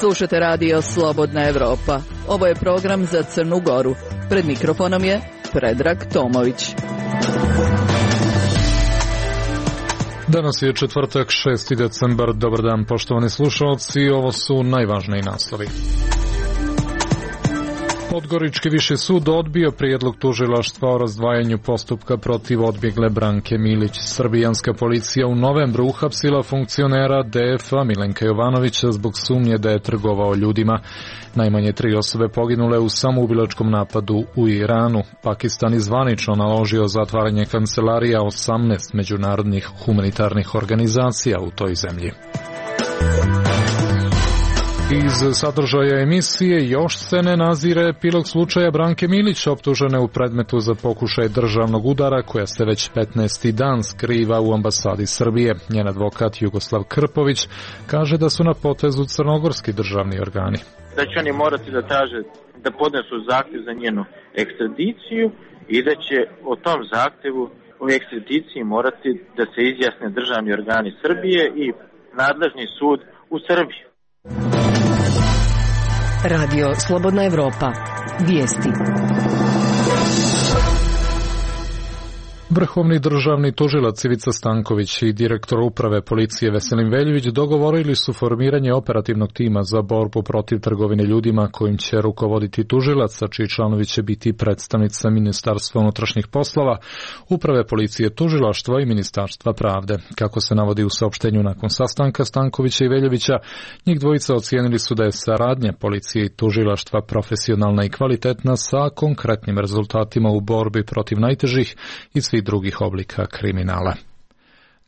Slušate radio Slobodna Evropa. Ovo je program za Crnu Goru. Pred mikrofonom je Predrag Tomović. Danas je četvrtak, 6. decembar. Dobar dan, poštovani slušalci. Ovo su najvažniji naslovi. Podgorički viši sud odbio prijedlog tužilaštva o razdvajanju postupka protiv odbjegle Branke Milić. Srbijanska policija u novembru uhapsila funkcionera DF-a Milenka Jovanovića zbog sumnje da je trgovao ljudima. Najmanje 3 osobe poginule u samoubilačkom napadu u Iranu. Pakistan zvanično naložio zatvaranje kancelarija 18 međunarodnih humanitarnih organizacija u toj zemlji. Iz sadržaja emisije još se ne nazire epilog slučaja Branke Milić, optužene u predmetu za pokušaj državnog udara koja se već 15. dan skriva u ambasadi Srbije. Njen advokat Jugoslav Krpović kaže da su na potezu crnogorski državni organi. Da će oni morati da traže da podnesu zahtjev za njenu ekstradiciju i da će o tom zahtjevu o ekstradiciji morati da se izjasne državni organi Srbije i nadležni sud u Srbiji. Radio Slobodna Evropa. Vijesti. Vrhovni državni tužilac Ivica Stanković i direktor uprave policije Veselin Veljević dogovorili su formiranje operativnog tima za borbu protiv trgovine ljudima kojim će rukovoditi tužilac, a čiji članovi će biti predstavnica Ministarstva unutrašnjih poslova, uprave policije, tužilaštva i Ministarstva pravde. Kako se navodi u saopštenju nakon sastanka Stankovića i Veljevića, njih dvojica ocijenili su da je saradnja policije i tužilaštva profesionalna i kvalitetna sa konkretnim rezultatima u borbi protiv najtežih i svih drugih oblika kriminala.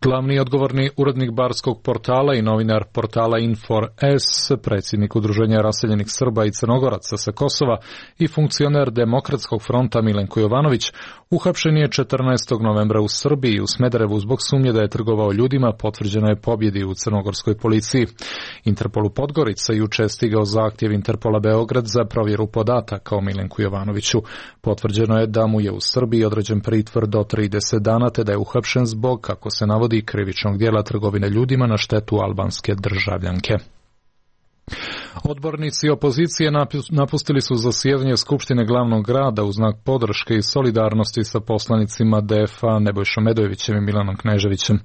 Glavni odgovorni urednik barskog portala i novinar portala Infor.s, predsjednik Udruženja raseljenih Srba i Crnogoraca sa Kosova i funkcioner Demokratskog fronta Milenko Jovanović uhapšen je 14. novembra u Srbiji u Smederevu zbog sumnje da je trgovao ljudima, potvrđeno je pobjedi u crnogorskoj policiji. Interpolu Podgorica juče je stigao zahtjev Interpola Beograd za provjeru podataka o Milenku Jovanoviću. Potvrđeno je da mu je u Srbiji određen pritvor do 30 dana te da je uhapšen zbog, kako se navodi, krivičnog djela trgovine ljudima na štetu albanske državljanke. Odbornici opozicije napustili su zasjedanje Skupštine glavnog grada u znak podrške i solidarnosti sa poslanicima DF-a Nebojšom Medojevićem i Milanom Kneževićem.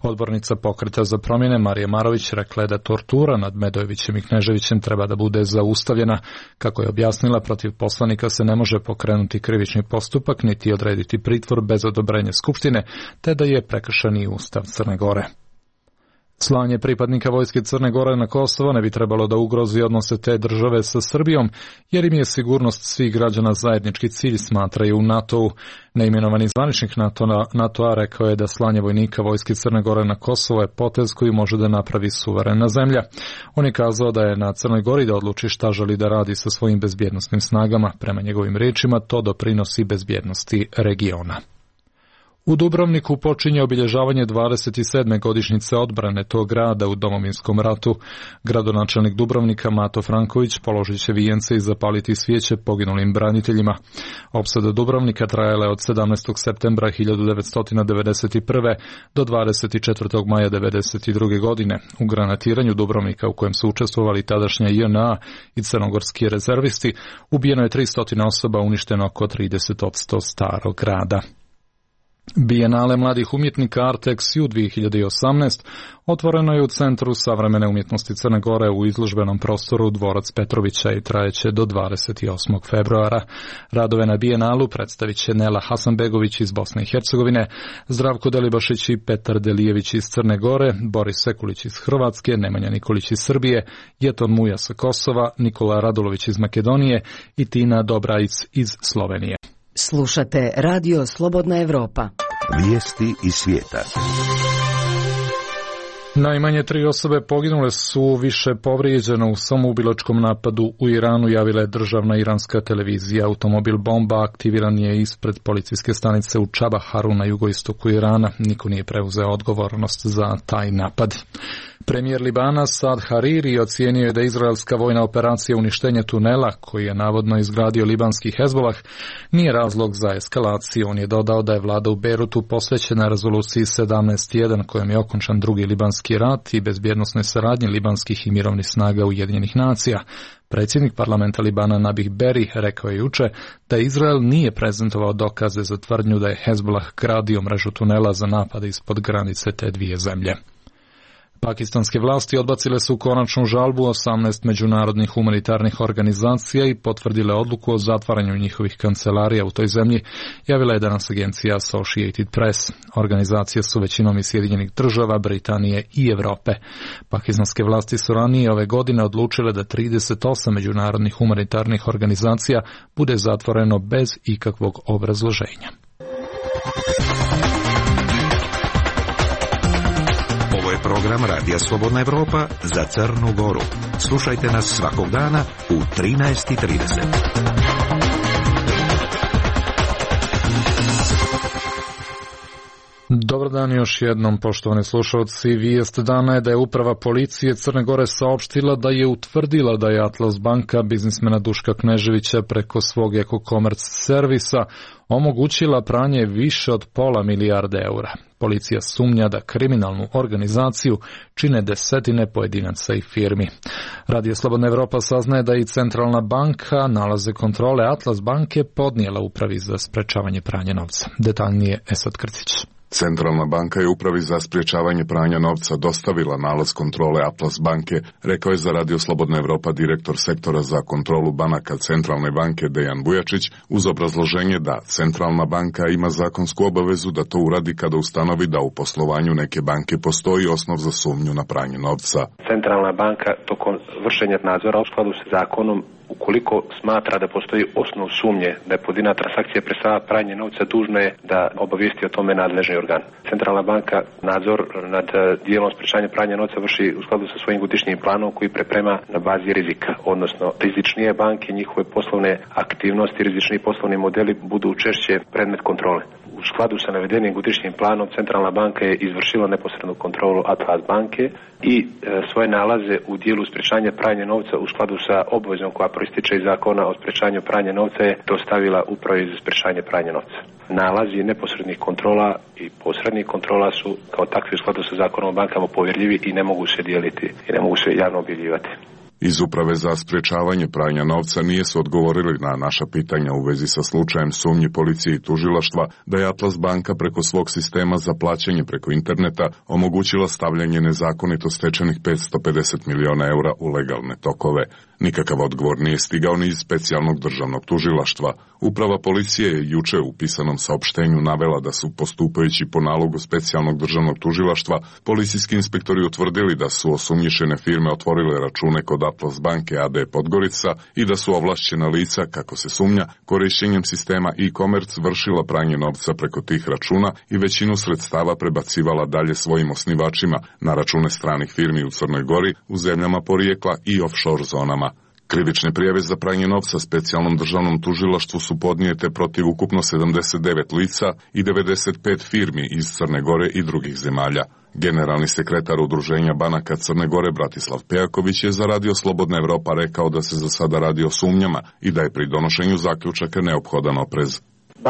Odbornica Pokreta za promjene Marija Marović rekla je da tortura nad Medojevićem i Kneževićem treba da bude zaustavljena. Kako je objasnila, protiv poslanika se ne može pokrenuti krivični postupak niti odrediti pritvor bez odobrenja Skupštine, te da je prekršen i Ustav Crne Gore. Slanje pripadnika vojske Crne Gore na Kosovo ne bi trebalo da ugrozi odnose te države sa Srbijom, jer im je sigurnost svih građana zajednički cilj, smatraju u NATO-u. Neimenovani zvaničnik NATO-a rekao je da slanje vojnika vojske Crne Gore na Kosovo je potez koji može da napravi suverena zemlja. On je kazao da je na Crnoj Gori da odluči šta želi da radi sa svojim bezbjednosnim snagama. Prema njegovim rečima, to doprinosi bezbjednosti regiona. U Dubrovniku počinje obilježavanje 27. godišnjice odbrane tog grada u Domovinskom ratu. Gradonačelnik Dubrovnika Mato Franković položit će vijence i zapaliti svijeće poginulim braniteljima. Opsada Dubrovnika trajala je od 17. septembra 1991. do 24. maja 1992. godine. U granatiranju Dubrovnika, u kojem su učestvovali tadašnja JNA i crnogorski rezervisti, ubijeno je 300 osoba, uništeno oko 30% starog grada. Bijenale mladih umjetnika Artex 2018 otvoreno je u Centru savremene umjetnosti Crne Gore u izložbenom prostoru Dvorac Petrovića i trajeće do 28. februara. Radove na Bijenalu predstavit će Nela Hasanbegović iz Bosne i Hercegovine, Zdravko Delibašić i Petar Delijević iz Crne Gore, Boris Sekulić iz Hrvatske, Nemanja Nikolić iz Srbije, Jeton Muja sa Kosova, Nikola Radulović iz Makedonije i Tina Dobrajic iz Slovenije. Slušate Radio Slobodna Evropa. Vijesti iz svijeta. Najmanje 3 osobe poginule su, više povrijeđene u samoubilačkom napadu u Iranu, javila je državna iranska televizija. Automobil bomba aktiviran je ispred policijske stanice u Čabaharu na jugoistoku Irana. Niko nije preuzeo odgovornost za taj napad. Premijer Libana Saad Hariri ocijenio je da izraelska vojna operacija uništenja tunela, koji je navodno izgradio libanski Hezbolah, nije razlog za eskalaciju. On je dodao da je vlada u Beirutu posvećena rezoluciji 17.1 kojom je okončan drugi libanski rat i bezbjednosnoj saradnji libanskih i mirovnih snaga Ujedinjenih nacija. Predsjednik parlamenta Libana Nabih Berri rekao je juče da Izrael nije prezentovao dokaze za tvrdnju da je Hezbolah gradio mrežu tunela za napade ispod granice te dvije zemlje. Pakistanske vlasti odbacile su konačnu žalbu 18 međunarodnih humanitarnih organizacija i potvrdile odluku o zatvaranju njihovih kancelarija u toj zemlji, javila je danas agencija Associated Press. Organizacije su većinom iz Sjedinjenih država, Britanije i Europe. Pakistanske vlasti su ranije ove godine odlučile da 38 međunarodnih humanitarnih organizacija bude zatvoreno bez ikakvog obrazloženja. Program Radija Slobodna Evropa za Crnu Goru. Slušajte nas svakog dana u 13:30. Dobar dan još jednom, poštovani slušalci. Vijest dana je da je uprava policije Crne Gore saopštila da je utvrdila da je Atlas banka biznismena Duška Kneževića preko svog Eko-Commerce servisa omogućila pranje više od £500 milijarde. Policija sumnja da kriminalnu organizaciju čine desetine pojedinaca i firmi. Radio Slobodna Evropa saznaje da i Centralna banka nalaze kontrole Atlas banke podnijela upravi za sprečavanje pranja novca. Detaljnije Esad Krcić. Centralna banka je upravi za sprječavanje pranja novca dostavila nalaz kontrole Atlas banke, rekao je za Radio Slobodna Evropa direktor sektora za kontrolu banaka Centralne banke Dejan Bujačić, uz obrazloženje da Centralna banka ima zakonsku obavezu da to uradi kada ustanovi da u poslovanju neke banke postoji osnov za sumnju na pranje novca. Centralna banka tokom vršenja nadzora u skladu sa zakonom, ukoliko smatra da postoji osnov sumnje da je pojedina transakcija predstavlja pranje novca, dužna je da obavijesti o tome nadležni organ. Centralna banka nadzor nad dijelom sprečavanja pranja novca vrši u skladu sa svojim godišnjim planom koji priprema na bazi rizika, odnosno rizičnije banke, njihove poslovne aktivnosti, rizični poslovni modeli budu češće predmet kontrole. U skladu sa navedenim godišnjim planom Centralna banka je izvršila neposrednu kontrolu Atlas banke i svoje nalaze u dijelu sprečavanja pranja novca u skladu sa obvezom koja proističe iz zakona o sprečavanju pranja novca je dostavila upravi za sprečavanje pranja novca. Nalazi neposrednih kontrola i posrednih kontrola su kao takvi u skladu sa zakonom o bankama povjerljivi i ne mogu se dijeliti i ne mogu se javno objavljivati. Iz uprave za sprječavanje pranja novca nije su odgovorili na naša pitanja u vezi sa slučajem sumnji policije i tužilaštva da je Atlas banka preko svog sistema za plaćanje preko interneta omogućila stavljanje nezakonito stečenih €550 miliona u legalne tokove. Nikakav odgovor nije stigao ni iz specijalnog državnog tužilaštva. Uprava policije je juče u pisanom saopštenju navela da su, postupajući po nalogu specijalnog državnog tužilaštva, policijski inspektori utvrdili da su osumnjičene firme otvorile račune kod Atlas banke AD Podgorica i da su ovlašćena lica, kako se sumnja, korištenjem sistema e-commerce vršila pranje novca preko tih računa i većinu sredstava prebacivala dalje svojim osnivačima na račune stranih firmi u Crnoj Gori, u zemljama porijekla i offshore zonama. Krivične prijave za pranje novca specijalnom državnom tužilaštvu su podnijete protiv ukupno 79 lica i 95 firmi iz Crne Gore i drugih zemalja. Generalni sekretar Udruženja banaka Crne Gore Bratislav Pejaković je za Radio Slobodna Evropa rekao da se za sada radi o sumnjama i da je pri donošenju zaključaka neophodan oprez.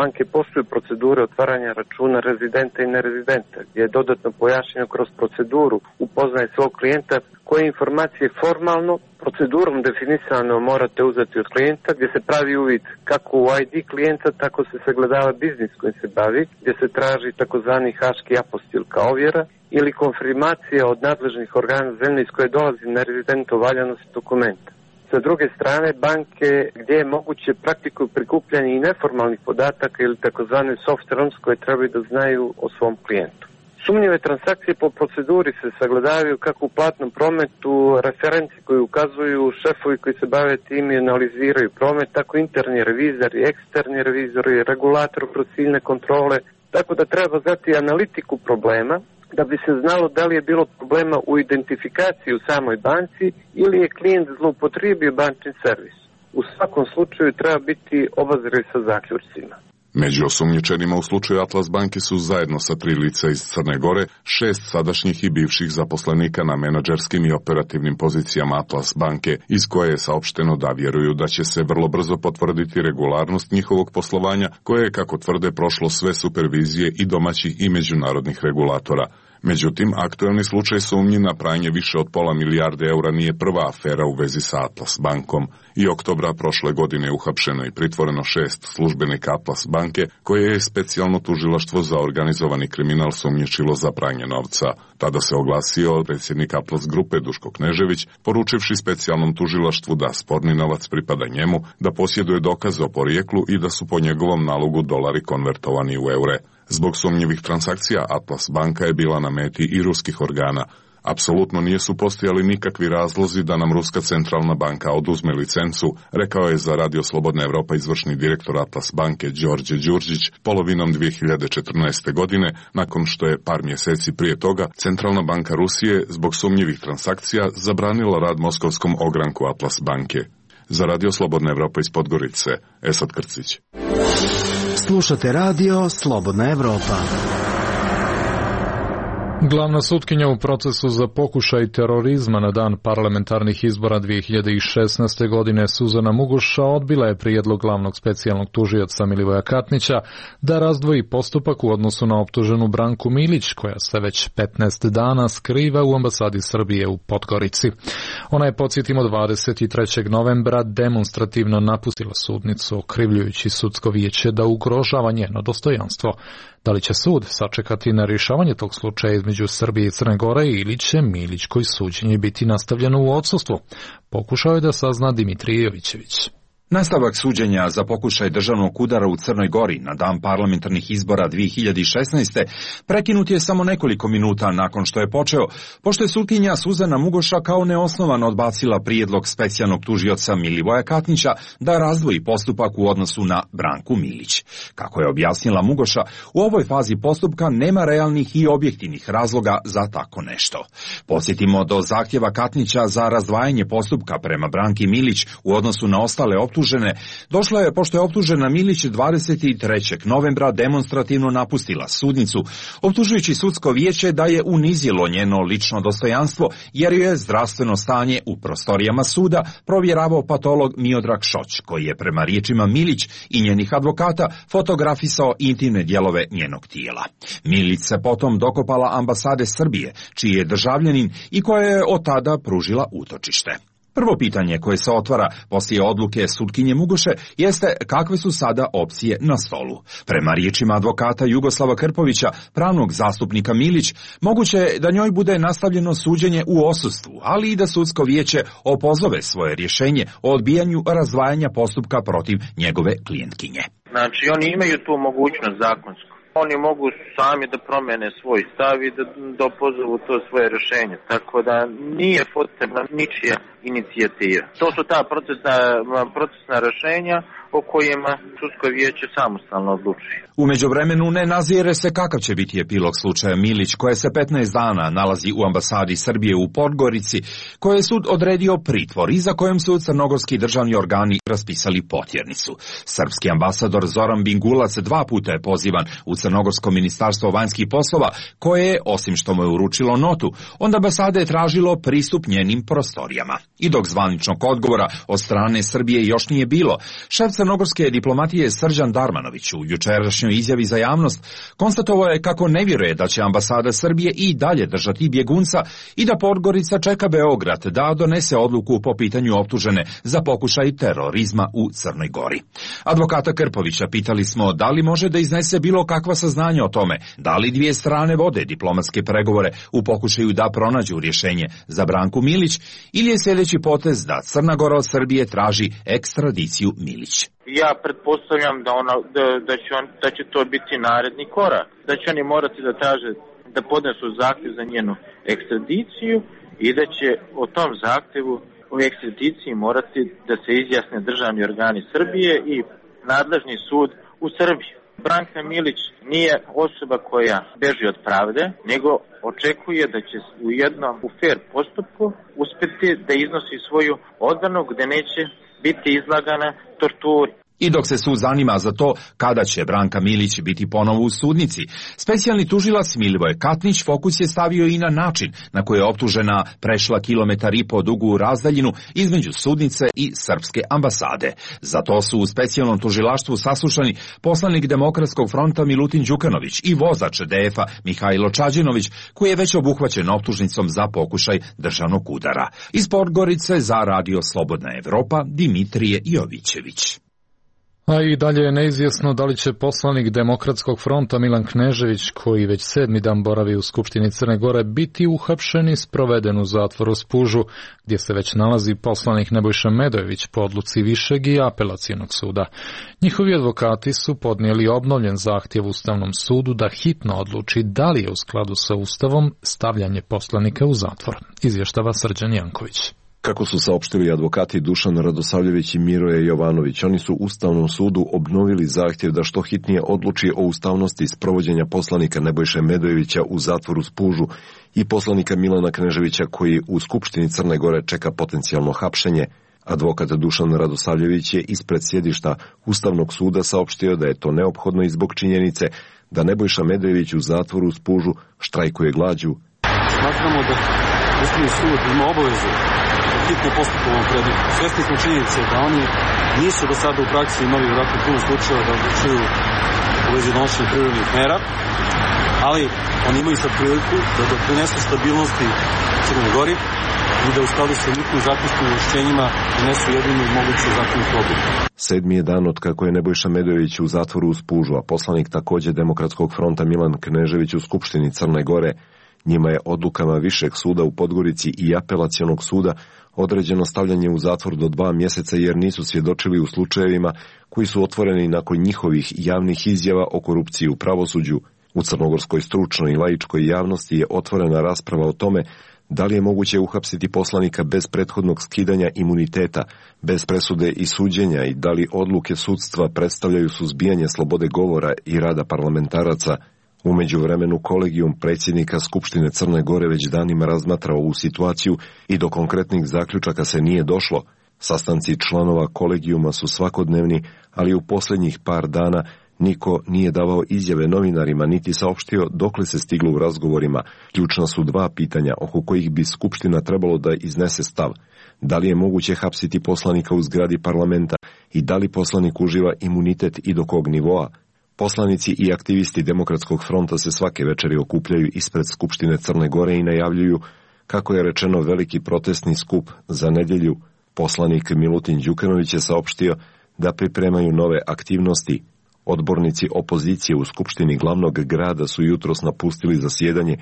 Banke poštuju procedure otvaranja računa rezidenta i nerezidenta, gdje je dodatno pojašnjeno kroz proceduru upoznaje svog klijenta koje informacije formalno procedurom definisano morate uzeti od klijenta, gdje se pravi uvid kako u ID klijenta, tako se sagledava biznis kojim se bavi, gdje se traži takozvani haški apostil kao ovjera ili konfirmacija od nadležnih organa zemlje iz koje dolazi nerezident o valjanosti dokumenta. Sa druge strane, banke gdje je moguće praktikuju prikupljanje i neformalnih podataka ili takozvane soft runs koje trebaju da znaju o svom klijentu. Sumnjive transakcije po proceduri se sagledavaju kako u platnom prometu, referenci koji ukazuju, šefovi koji se bave tim i analiziraju promet, tako interni revizori, eksterni revizori, regulator kroz ciljne kontrole, tako da treba znati analitiku problema, da bi se znalo da li je bilo problema u identifikaciji u samoj banci ili je klijent zloupotrijebio bančni servis. U svakom slučaju treba biti obazriv sa zaključcima. Među osumnjičenima u slučaju Atlas banke su zajedno sa 3 lica iz Crne Gore 6 sadašnjih i bivših zaposlenika na menadžerskim i operativnim pozicijama Atlas banke, iz koje je saopšteno da vjeruju da će se vrlo brzo potvrditi regularnost njihovog poslovanja, koje je, kako tvrde, prošlo sve supervizije i domaćih i međunarodnih regulatora. Međutim, aktuelni slučaj sumnji na pranje više od £500 milijarde nije prva afera u vezi sa Atlas bankom. I oktobra prošle godine uhapšeno i pritvoreno 6 službenika Atlas banke, koje je specijalno tužilaštvo za organizovani kriminal sumnjičilo za pranje novca. Tada se oglasio predsjednik Atlas grupe Duško Knežević, poručivši specijalnom tužilaštvu da sporni novac pripada njemu, da posjeduje dokaze o porijeklu i da su po njegovom nalogu dolari konvertovani u eure. Zbog sumnjivih transakcija Atlas banka je bila na meti i ruskih organa. Apsolutno nisu postojali nikakvi razlozi da nam Ruska centralna banka oduzme licencu, rekao je za Radio Slobodna Evropa izvršni direktor Atlas banke Đorđe Đurđić polovinom 2014. godine, nakon što je par mjeseci prije toga Centralna banka Rusije zbog sumnjivih transakcija zabranila rad moskovskom ogranku Atlas banke. Za Radio Slobodna Evropa iz Podgorice, Esad Krcić. Slušate Radio Slobodna Evropa. Glavna sutkinja u procesu za pokušaj terorizma na dan parlamentarnih izbora 2016. godine Suzana Mugoša odbila je prijedlog glavnog specijalnog tužioca Milivoja Katnića da razdvoji postupak u odnosu na optuženu Branku Milić, koja se već 15 dana skriva u ambasadi Srbije u Podgorici. Ona je, podsjetimo, 23. novembra demonstrativno napustila sudnicu, okrivljujući sudsko vijeće da ugrožava njeno dostojanstvo. Da li će sud sačekati na rješavanje tog slučaja između Srbije i Crne Gore ili će Milićkoj suđenje biti nastavljeno u odsustvu? Pokušao je da sazna Dimitrije Jovićević. Nastavak suđenja za pokušaj državnog udara u Crnoj Gori na dan parlamentarnih izbora 2016. prekinut je samo nekoliko minuta nakon što je počeo, pošto je sutkinja Suzana Mugoša kao neosnovano odbacila prijedlog specijalnog tužioca Milivoja Katnića da razdvoji postupak u odnosu na Branku Milić. Kako je objasnila Mugoša, u ovoj fazi postupka nema realnih i objektivnih razloga za tako nešto. Podsjetimo, do zahtjeva Katnića za razdvajanje postupka prema Branki Milić u odnosu na ostale optužene došlo je pošto je optužena Milić 23. novembra demonstrativno napustila sudnicu, optužujući sudsko vijeće da je unizilo njeno lično dostojanstvo jer je zdravstveno stanje u prostorijama suda provjeravao patolog Miodrag Šoć, koji je prema riječima Milić i njenih advokata fotografisao intimne dijelove njenog tijela. Milić se potom dokopala ambasade Srbije, čiji je državljanin i koja je od tada pružila utočište. Prvo pitanje koje se otvara poslije odluke sutkinje Mugoše jeste kakve su sada opcije na stolu. Prema riječima advokata Jugoslava Krpovića, pravnog zastupnika Milić, moguće je da njoj bude nastavljeno suđenje u odsustvu, ali i da sudsko vijeće opozove svoje rješenje o odbijanju razdvajanja postupka protiv njegove klijentkinje. Znači, oni imaju tu mogućnost zakonsku. Oni mogu sami da promene svoj stav i da opozovu to svoje rješenje. Tako da nije potrebna ničija inicijativa. To su ta procesna rješenja o kojima sudsko vijeće samostalno odlučuje. U međuvremenu ne nazire se kakav će biti epilog slučaja Milić, koje se 15 dana nalazi u ambasadi Srbije u Podgorici, koje je sud odredio pritvor i za kojem su crnogorski državni organi raspisali potjernicu. Srpski ambasador Zoran Bingulac 2 puta je pozivan u Crnogorsko ministarstvo vanjskih poslova, koje je, osim što mu je uručilo notu, od ambasade je tražilo pristup njenim prostorijama. I dok zvaničnog odgovora od strane Srbije još nije bilo, šef crnogorske diplomatije Srđan Darmanović u jučerašnjoj izjavi za javnost konstatovao je kako ne vjeruje da će ambasada Srbije i dalje držati bjegunca i da Podgorica čeka Beograd da donese odluku po pitanju optužene za pokušaj terorizma u Crnoj Gori. Advokata Krpovića pitali smo da li može da iznese bilo kakva saznanja o tome, da li dvije strane vode diplomatske pregovore u pokušaju da pronađu rješenje za Branku Milić ili je sljedeći potez da Crna Gora od Srbije traži ekstradiciju Milić. Ja pretpostavljam da će to biti naredni korak, da će oni morati da traže da podnesu zahtjev za njenu ekstradiciju i da će o tom zahtjevu o ekstradiciji morati da se izjasne državni organi Srbije i nadležni sud u Srbiji. Branka Milić nije osoba koja beži od pravde, nego očekuje da će u fair postupku uspjeti da iznosi svoju odbranu gdje neće biti izlagana torturi. I dok se sud zanima za to kada će Branka Milić biti ponovo u sudnici, specijalni tužilac Milivoje Katnić fokus je stavio i na način na koji je optužena prešla 1,5 kilometra dugu razdaljinu između sudnice i srpske ambasade. Za to su u specijalnom tužilaštvu saslušani poslanik Demokratskog fronta Milutin Đukanović i vozač DF-a Mihajlo Čađinović, koji je već obuhvaćen optužnicom za pokušaj državnog udara. Iz Podgorice za Radio Slobodna Evropa Dimitrije Jovićević. A i dalje je neizvjesno da li će poslanik Demokratskog fronta Milan Knežević, koji već 7. dan boravi u Skupštini Crne Gore, biti uhapšen i sproveden u zatvor u Spužu, gdje se već nalazi poslanik Nebojša Medojević po odluci Višeg i Apelacionog suda. Njihovi advokati su podnijeli obnovljen zahtjev Ustavnom sudu da hitno odluči da li je u skladu sa Ustavom stavljanje poslanika u zatvor. Izvještava Srđan Janković. Kako su saopštili advokati Dušan Radosavljević i Miroje Jovanović, oni su Ustavnom sudu obnovili zahtjev da što hitnije odluči o ustavnosti sprovođenja poslanika Nebojše Medojevića u zatvoru Spužu i poslanika Milana Kneževića, koji u Skupštini Crne Gore čeka potencijalno hapšenje. Advokat Dušan Radosavljević je ispred sjedišta Ustavnog suda saopštio da je to neophodno i zbog činjenice da Nebojša Medojević u zatvoru Spužu štrajkuje glađu. Smatramo da Ustavni sud ima obavezu hitno postupa u ovom predmetu. Svesni smo činjenice da oni nisu do sada u praksi imali vjerojatno puno slučajeva da odlučuju u vezi donošenja privremenih mera, ali oni imaju sad priliku da doprinesu stabilnosti Crnoj Gori i da u skladu sa njihovim zakonskim ovlašćenjima donesu jedinu moguću zakonsku odluku. 7. je dan od kako je Nebojša Medojević u zatvoru u Spužu, a poslanik također Demokratskog fronta Milan Knežević u Skupštini Crne Gore. Njima je odlukama Višeg suda u Podgorici i Apelacionog suda određeno stavljanje u zatvor do 2 mjeseca jer nisu svjedočili u slučajevima koji su otvoreni nakon njihovih javnih izjava o korupciji u pravosuđu. U crnogorskoj stručnoj i laičkoj javnosti je otvorena rasprava o tome da li je moguće uhapsiti poslanika bez prethodnog skidanja imuniteta, bez presude i suđenja i da li odluke sudstva predstavljaju suzbijanje slobode govora i rada parlamentaraca. U međuvremenu kolegijum predsjednika Skupštine Crne Gore već danima razmatra ovu situaciju i do konkretnih zaključaka se nije došlo. Sastanci članova kolegijuma su svakodnevni, ali u posljednjih par dana niko nije davao izjave novinarima niti saopštio dokle se stiglo u razgovorima. Ključna su 2 pitanja oko kojih bi Skupština trebalo da iznese stav. Da li je moguće hapsiti poslanika u zgradi parlamenta i da li poslanik uživa imunitet i do kog nivoa? Poslanici i aktivisti Demokratskog fronta se svake večeri okupljaju ispred Skupštine Crne Gore i najavljuju, kako je rečeno, veliki protestni skup za nedjelju. Poslanik Milutin Đukanović je saopštio da pripremaju nove aktivnosti. Odbornici opozicije u Skupštini glavnog grada su jutros napustili zasjedanje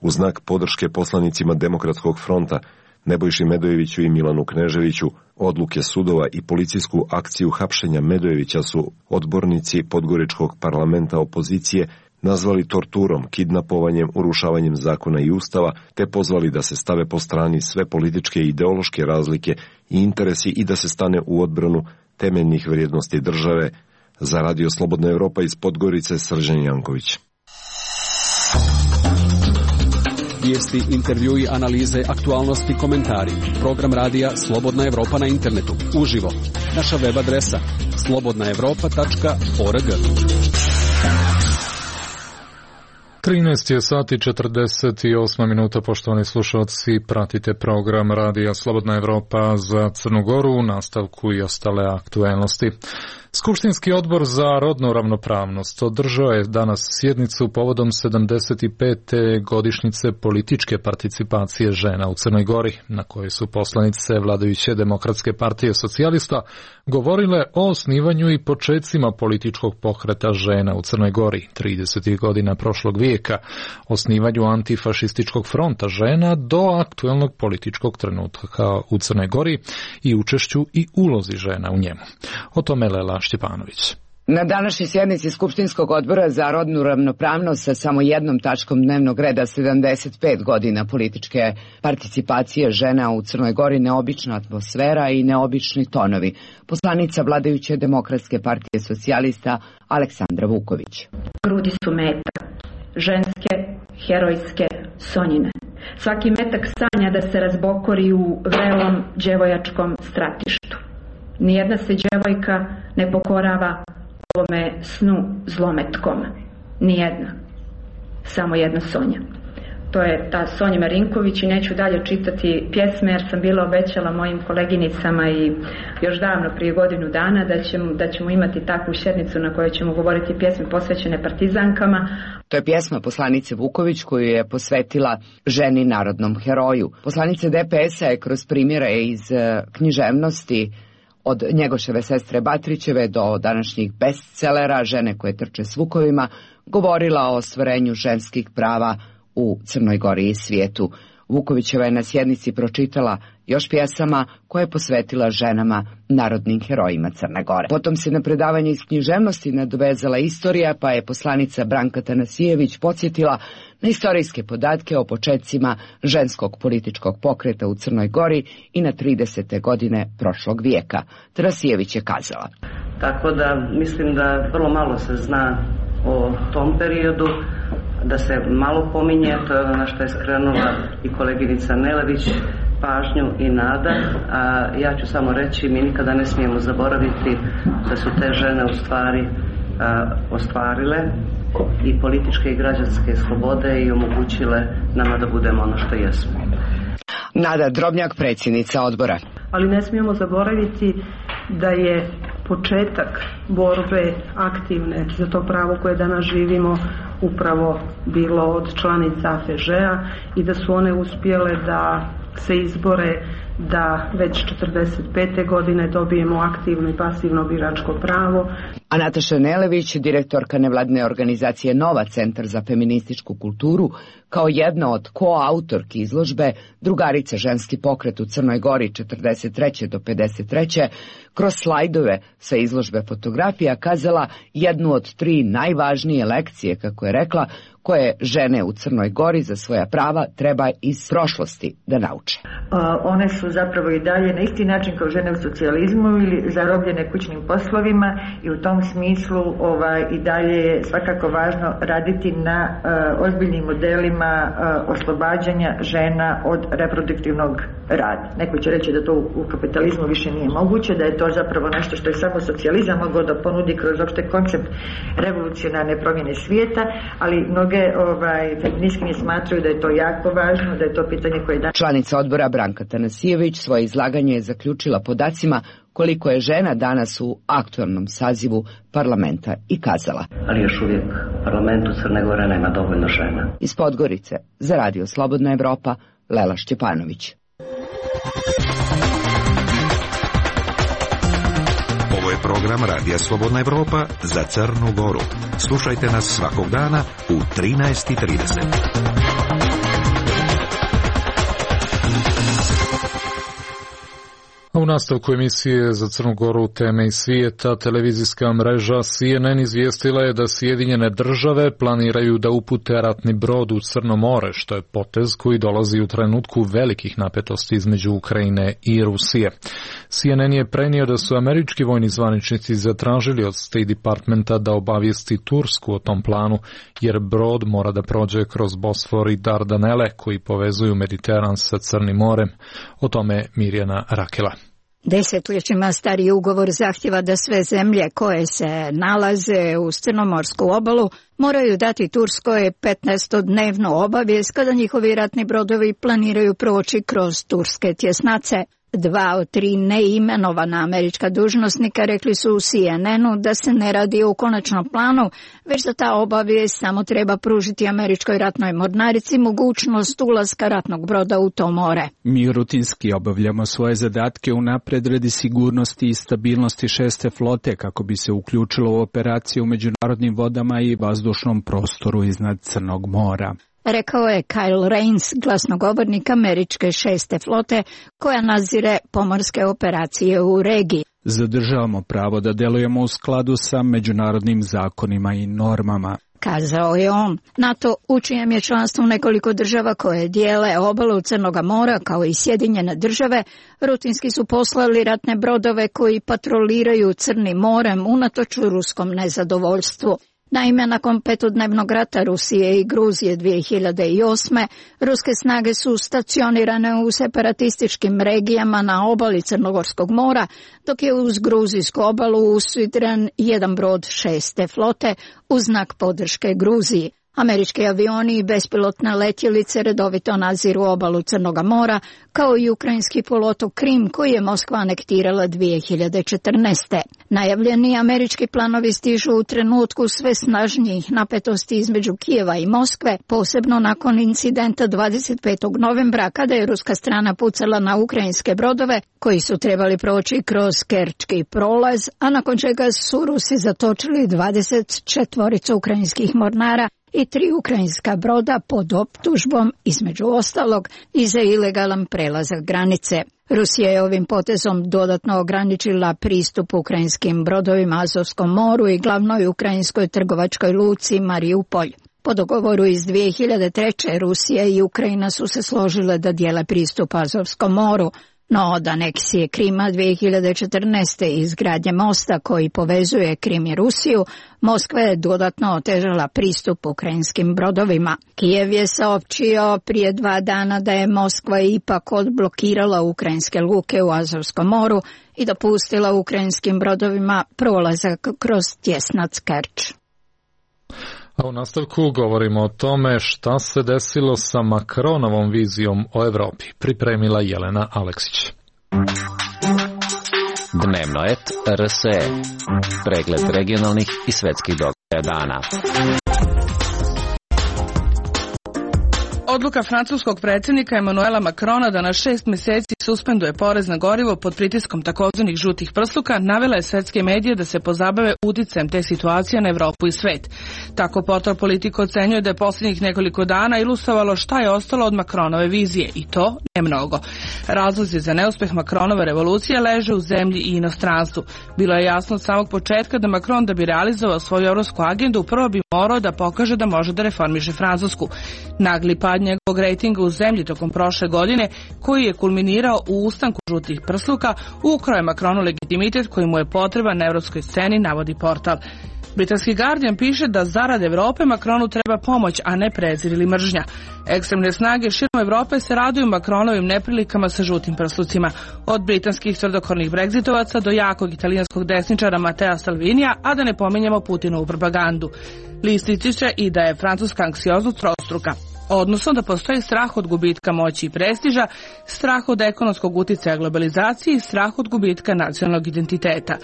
u znak podrške poslanicima Demokratskog fronta Nebojši Medojeviću i Milanu Kneževiću. Odluke sudova i policijsku akciju hapšenja Medojevića su odbornici Podgoričkog parlamenta opozicije nazvali torturom, kidnapovanjem, urušavanjem zakona i ustava, te pozvali da se stave po strani sve političke i ideološke razlike i interesi i da se stane u odbranu temeljnih vrijednosti države. Za Radio Slobodna Evropa iz Podgorice, Srđan Janković. Vijesti, intervjui, analize, aktualnosti, komentari. Program radija Slobodna Evropa na internetu. Uživo. Naša web adresa slobodnaevropa.org. 13 je sati 48 minuta, poštovani slušalci, pratite program radija Slobodna Evropa za Crnu Goru, u nastavku i ostale aktuelnosti. Skupštinski odbor za rodnu ravnopravnost održao je danas sjednicu povodom 75. godišnjice političke participacije žena u Crnoj Gori, na kojoj su poslanice vladajuće Demokratske partije socijalista govorile o osnivanju i počecima političkog pokreta žena u Crnoj Gori 30. godina prošlog vijeka, osnivanju antifašističkog fronta žena do aktuelnog političkog trenutka u Crnoj Gori i učešću i ulozi žena u njemu. O tome Lela Štjepanović. Na današnjoj sjednici Skupštinskog odbora za rodnu ravnopravnost sa samo jednom tačkom dnevnog reda 75 godina političke participacije žena u Crnoj Gori, neobična atmosfera i neobični tonovi. Poslanica vladajuće Demokratske partije socijalista Aleksandra Vuković. Grudi su metak, ženske, herojske, Sonjine. Svaki metak sanja da se razbokori u vrelom djevojačkom stratištu. Nijedna se djevojka ne pokorava ovome snu zlometkom. Nijedna. Samo jedna Sonja. To je ta Sonja Marinković i neću dalje čitati pjesme jer sam bila obećala mojim koleginicama i još davno prije godinu dana da ćemo imati takvu sjednicu na kojoj ćemo govoriti pjesme posvećene partizankama. To je pjesma poslanice Vuković koju je posvetila ženi narodnom heroju. Poslanica DPS-a je kroz primjere iz književnosti od Njegoševe sestre Batrićeve do današnjih bestselera Žene koje trče s vukovima govorila o ostvarenju ženskih prava u Crnoj Gori i svijetu. Vukovićeva je na sjednici pročitala još pjesama koje je posvetila ženama narodnim herojima Crne Gore. Potom se na predavanje iz književnosti nadovezala istorija, pa je poslanica Branka Tanasijević podsjetila na istorijske podatke o početcima ženskog političkog pokreta u Crnoj Gori i na 30. godine prošlog vijeka. Tanasijević je kazala: Tako da mislim da vrlo malo se zna o tom periodu, da se malo pominje, to je ono na što je skrenula i koleginica Nelević pažnju i Nada, a ja ću samo reći, mi nikada ne smijemo zaboraviti da su te žene u stvari ostvarile i političke i građanske slobode i omogućile nama da budemo ono što jesmo. Nada Drobnjak, predsjednica odbora. Ali ne smijemo zaboraviti da je početak borbe aktivne za to pravo koje danas živimo upravo bilo od članica AFŽ-a i da su one uspjele da se izbore da već 45. godine dobijemo aktivno i pasivno biračko pravo. A Nataša Nelević, direktorka nevladine organizacije Nova, Centar za feminističku kulturu, kao jedna od koautorki izložbe Drugarice ženski pokret u Crnoj Gori 43. do 53. kroz slajdove sa izložbe fotografija kazala jednu od 3 najvažnije lekcije, kako je rekla, koje žene u Crnoj Gori za svoja prava treba iz prošlosti da nauče. One su zapravo i dalje na isti način kao žene u socijalizmu ili zarobljene kućnim poslovima i u tom smislu i dalje je svakako važno raditi na ozbiljnim modelima oslobađanja žena od reproduktivnog rada. Neko će reći da to u kapitalizmu više nije moguće, da je to zapravo nešto što je samo socijalizam mogao da ponudi kroz opšte koncept revolucionarne promjene svijeta, ali mnoge feministkinje smatraju da je to jako važno, da je to pitanje koje da... Članica odbora Branka Tanasijević svoje izlaganje je zaključila podacima koliko je žena danas u aktualnom sazivu parlamenta i kazala: Ali još uvijek u parlamentu Crne Gore nema dovoljno žena. Iz Podgorice za Radio Slobodna Evropa, Lela Šćepanović. Ovo je program Radija Slobodna Evropa za Crnu Goru. Slušajte nas svakog dana u 13:30. U nastavku emisije za Crnu Goru teme iz svijeta, televizijska mreža CNN izvijestila je da Sjedinjene države planiraju da upute ratni brod u Crno more, što je potez koji dolazi u trenutku velikih napetosti između Ukrajine i Rusije. CNN je prenio da su američki vojni zvaničnici zatražili od State Departmenta da obavijesti Tursku o tom planu, jer brod mora da prođe kroz Bosfor i Dardanele koji povezuju Mediteran sa Crnim morem. O tome Mirjana Rakela. Desetljećima stari ugovor zahtjeva da sve zemlje koje se nalaze uz crnomorsku obalu moraju dati Turskoj 15-dnevnu obavijest kada njihovi ratni brodovi planiraju proći kroz turske tjesnace. 2 od 3 neimenovana američka dužnosnika rekli su u CNN-u da se ne radi o konačnom planu, već da ta obavijest samo treba pružiti američkoj ratnoj mornarici mogućnost ulaska ratnog broda u to more. Mi rutinski obavljamo svoje zadatke unapred radi sigurnosti i stabilnosti 6. flote kako bi se uključilo u operaciju u međunarodnim vodama i vazdušnom prostoru iznad Crnog mora. Rekao je Kyle Rains, glasnogovornik američke 6. flote koja nadzire pomorske operacije u regiji. Zadržavamo pravo da delujemo u skladu sa međunarodnim zakonima i normama, kazao je on. NATO, u čijem je članstvu nekoliko država koje dijele obalu Crnoga mora kao i Sjedinjene države, rutinski su poslali ratne brodove koji patroliraju Crnim morem unatoč ruskom nezadovoljstvu. Naime, nakon petodnevnog rata Rusije i Gruzije 2008. ruske snage su stacionirane u separatističkim regijama na obali Crnogorskog mora, dok je uz gruzijsku obalu usidren jedan brod 6. flote u znak podrške Gruziji. Američki avioni i bespilotne letjelice redovito nadziru obalu Crnoga mora, kao i ukrajinski poluotok Krim koji je Moskva anektirala 2014. Najavljeni američki planovi stižu u trenutku sve snažnijih napetosti između Kijeva i Moskve, posebno nakon incidenta 25. novembra kada je ruska strana pucala na ukrajinske brodove koji su trebali proći kroz Kerčki prolaz, a nakon čega su Rusi zatočili 24 ukrajinskih mornara i 3 ukrajinska broda pod optužbom, između ostalog, i za ilegalan prelazak granice. Rusija je ovim potezom dodatno ograničila pristup ukrajinskim brodovima Azovskom moru i glavnoj ukrajinskoj trgovačkoj luci Mariupolj. Po dogovoru iz 2003. Rusija i Ukrajina su se složile da dijele pristup Azovskom moru, no od aneksije Krima 2014. i izgradnje mosta koji povezuje Krim i Rusiju, Moskva je dodatno otežala pristup ukrajinskim brodovima. Kijev je saopćio prije 2 dana da je Moskva ipak odblokirala ukrajinske luke u Azovskom moru i dopustila ukrajinskim brodovima prolazak kroz tjesnac Kerč. A u nastavku govorimo o tome šta se desilo sa Macronovom vizijom o Evropi. Pripremila Jelena Aleksić. Dnevno et RSE. Pregled regionalnih i svetskih događaja dana. Odluka francuskog predsjednika Emmanuela Macrona da na 6 mjeseci suspenduje porez na gorivo pod pritiskom takozvanih žutih prsluka navela je svetske medije da se pozabave uticajem te situacije na Evropu i svet. Tako portal Politico ocenjuje da je posljednjih nekoliko dana ilustrovalo šta je ostalo od Macronove vizije, i to ne mnogo. Razlozi za neuspjeh Macronove revolucije leže u zemlji i inostranstvu. Bilo je jasno od samog početka da Macron, da bi realizovao svoju evropsku agendu, prvo bi morao da pokaže da može da reformiše Francusku. Nagli pad njegovog rejtinga u zemlji tokom prošle godine, koji je kulminirao u ustanku žutih prsluka, ukrao je Macronu legitimitet koji mu je potreban na evropskoj sceni, navodi portal. Britanski Guardian piše da zarad Evrope Macronu treba pomoć, a ne prezir ili mržnja. Ekstremne snage širom Evrope se raduju Macronovim neprilikama sa žutim prslucima, od britanskih tvrdokornih bregzitovaca do jakog italijanskog desničara Matea Salvinija, a da ne pominjemo Putinovu propagandu. List ističe i da je francuska anksioznost trostruka, odnosno da postoji strah od gubitka moći i prestiža, strah od ekonomskog uticaja globalizacije i strah od gubitka nacionalnog identiteta.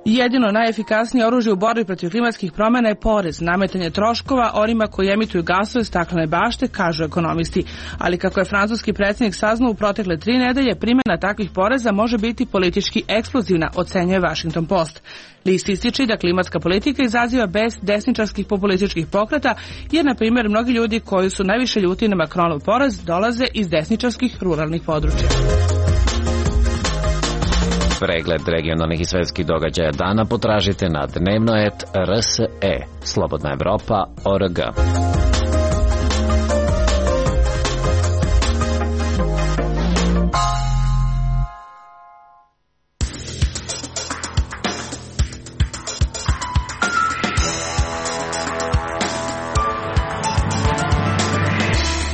Jedino najefikasnije oružje u borbi protiv klimatskih promjena je porez, nametanje troškova onima koji emituju gasove staklene bašte, kažu ekonomisti. Ali kako je francuski predsjednik saznao u protekle 3 nedelje, primjena takvih poreza može biti politički eksplozivna, ocenjuje Washington Post. List ističe da klimatska politika izaziva bez desničarskih populističkih pokreta, jer, na primjer, mnogi ljudi koji su najviše ljuti na Macronov porez dolaze iz desničarskih ruralnih područja. Pregled regionalnih i svetskih događaja dana potražite na dnevnoet.rse. Slobodna Evropa.org.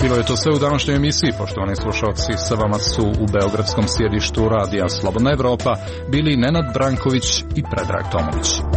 Bilo je to sve u današnjoj emisiji, poštovani slušalci. Sa vama su u beogradskom sjedištu radija Slobodna Evropa bili Nenad Branković i Predrag Tomović.